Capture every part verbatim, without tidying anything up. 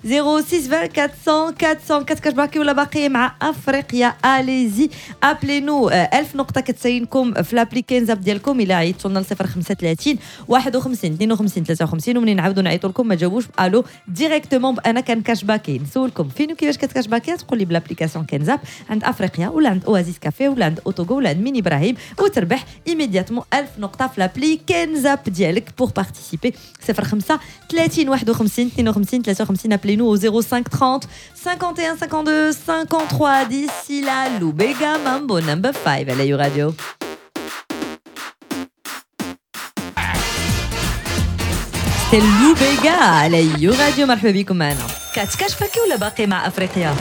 zéro six vingt quatre cents quatre cents كتكاشباكي ولا باقي مع افريقيا؟ allez-y appelez-nous. ألف نقطة كتساينكم في l'appli كنزاب ديالكم الا عيطتوا لنا صفر خمسة ثلاثين واحد وخمسين اثنين وخمسين ثلاثة وخمسين، ومنين نعاودوا نعيطوا لكم ما تجاوبوش الو directement بانا كنكاشباكي. نسولكم فين وكيفاش كتكاشباكي، تقول لي ب l'application كنزاب عند افريقيا ولا عند Oasis Café ولا عند Otogo ولا عند ميني ابراهيم، وتربح immédiatement ألف نقطة في l'appli كنزاب ديالك. pour participer صفر خمسة ثلاثين واحد وخمسين اثنين وخمسين ثلاثة وخمسين. Appelez-nous au zéro cinq trente cinquante et un cinquante-deux cinquante-trois. D'ici là, Lubega Mambo number five à la You Radio. C'est Lubega à la You Radio. مرحبا بكم معنا. كتكاشفاكي ولا باقي مع افريقيا؟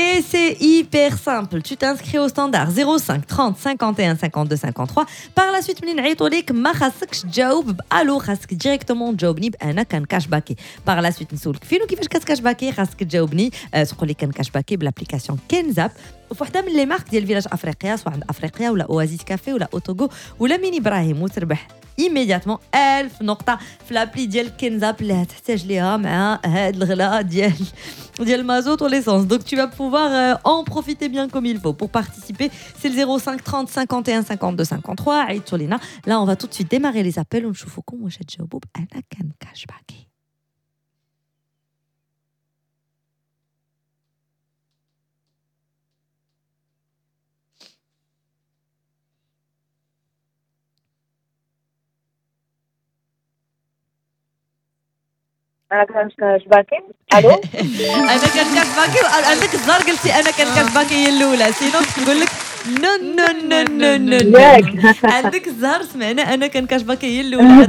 Et c'est hyper simple. Tu t'inscris au standard zéro cinq trente cinquante et un cinquante-deux cinquante-trois. Par la suite, منين نعيطوا لك ما خاصكش تجاوب بالو، خاصك directement تجاوبني بانا كنكاشباكي. Par la suite نسولك فين وكيفاش كتكاشباكي، خاصك تجاوبني تقول لي كنكاشباكي ب l'application كنزاب وفي وحده من les marques ديال Village افريقيا، سواء عند افريقيا ولا Oasis Café ولا Otogo ولا ميني ابراهيم، وتربح immédiatement ألف نقطة في l'appli ديال كنزاب اللي هتحتاج ليها مع هاد الغلاء ديال ديال المازوت و l'essence. Donc tu vas pouvoir en profiter bien comme il faut. Pour participer, c'est le zéro cinq trente cinquante et un cinquante-deux cinquante-trois. عيطوا لينا. Là on va tout de suite démarrer les appels ونشوفوكم واش تجاوبوا بأنا كنكاشباكي. انا كنكاشباكي. الو انا كنكاشباكي. عندك الزهر قلتي انا كنكاشباكي هي الاولى، sinon نقول لك non non non non non. عندك الزهر سمعنا انا كنكاشباكي هي الاولى.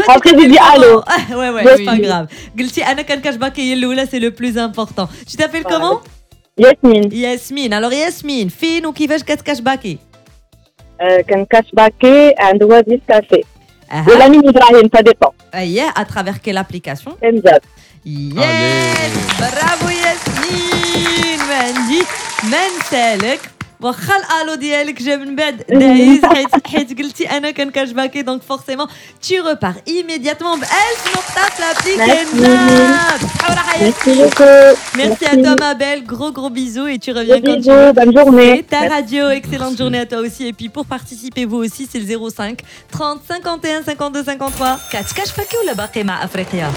Après j'ai dit allô. Ouais ouais, c'est pas grave. قلتي انا كنكاشباكي هي الاولى، c'est le plus important. Tu t'appelles comment? ياسمين. ياسمين. Alors ياسمين، فين وكيفاش كتكاشباكي؟ كنكاشباكي عند Oasis Café ولا ميني ابراهيم، ça dépend. اييه، à travers quelle application? كنزاب. Yes, bravo ياسمين. ما عندي ما نسالك، واخا الالو ديالك جا من بعد دايز حيت حيت قلتي انا كنكاشباكي، donc forcément tu repars immédiatement ب ألف نقطة في l'appli كنزاب. Merci beaucoup. Merci à toi ma belle, gros gros bisous et tu reviens quand tu veux. Bonne journée. Et ta radio, excellente journée à toi aussi. Et puis pour participer vous aussi, c'est le zéro cinq trente cinquante et un cinquante-deux cinquante-trois. كتكاشفاكي ولا باقي مع افريقيا؟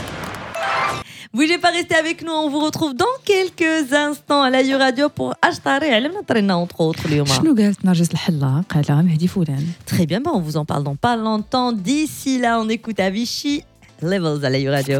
Bougez pas, restez avec nous. On vous retrouve dans quelques instants à la You Radio pour Ashtari. علمنا طرينا entre autres اليوم. شنو قالت نرجس الحلاق على مهدي فلان؟ Très bien, bah on vous en parle dans pas longtemps. D'ici là, on écoute Avicii Levels à la You Radio.